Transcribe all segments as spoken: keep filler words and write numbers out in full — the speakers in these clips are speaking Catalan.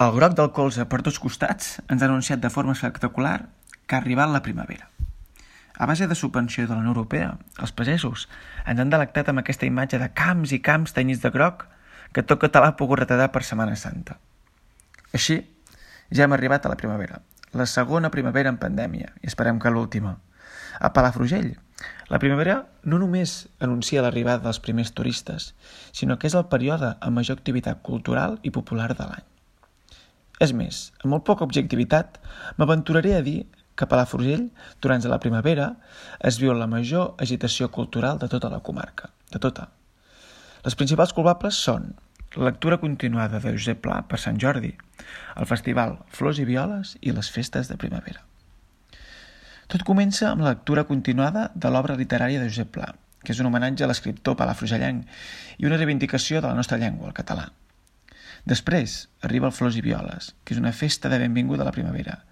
El groc del colze per tots costats ens ha anunciat de forma espectacular que ha arribat la primavera. A base de subvenció de la Unió Europea, els pagesos ens han delectat amb aquesta imatge de camps i camps tenyits de groc que tot català ha pogut retratar per Setmana Santa. Així, ja hem arribat a la primavera, la segona primavera en pandèmia, i esperem que l'última. A Palafrugell, la primavera no només anuncia l'arribada dels primers turistes, sinó que és el període amb major activitat cultural i popular de l'any. És més, amb molt poca objectivitat, m'aventuraré a dir que a Palafrugell, durant la primavera, es viu la major agitació cultural de tota la comarca, de tota. Les principals culpables són la lectura continuada de Josep Pla per Sant Jordi, el festival Flors i Violes i les festes de primavera. Tot comença amb la lectura continuada de l'obra literària de Josep Pla, que és un homenatge a l'escriptor palafrugellenc i una reivindicació de la nostra llengua, el català. Després arriba el Flors i Violes, que és una festa de benvinguda a la primavera,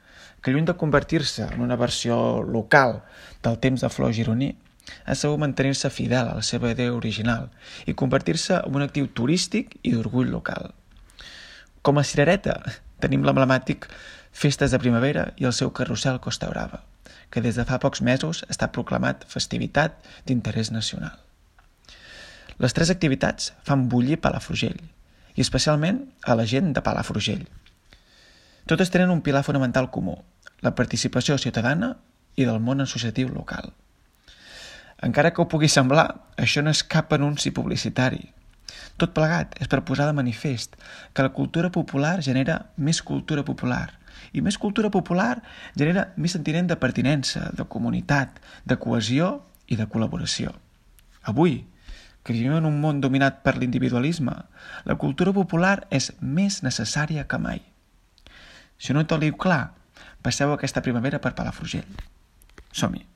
que lluny de convertir-se en una versió local del temps de flor gironí, ha sabut mantenir-se fidel a la seva idea original i convertir-se en un actiu turístic i d'orgull local. Com a cirereta tenim l'emblemàtic Festes de Primavera i el seu carrusel Costa Brava, que des de fa pocs mesos està proclamat festivitat d'interès nacional. Les tres activitats fan bullir Palafrugell, i especialment a la gent de Palafrugell. Totes tenen un pilar fonamental comú, la participació ciutadana i del món associatiu local. Encara que ho pugui semblar, això no és cap anunci publicitari. Tot plegat és per posar de manifest que la cultura popular genera més cultura popular, i més cultura popular genera més sentiment de pertinença, de comunitat, de cohesió i de col·laboració. Avui, que vivim en un món dominat per l'individualisme, la cultura popular és més necessària que mai. Si no ho teniu clar, passeu aquesta primavera per Palafrugell. Som-hi!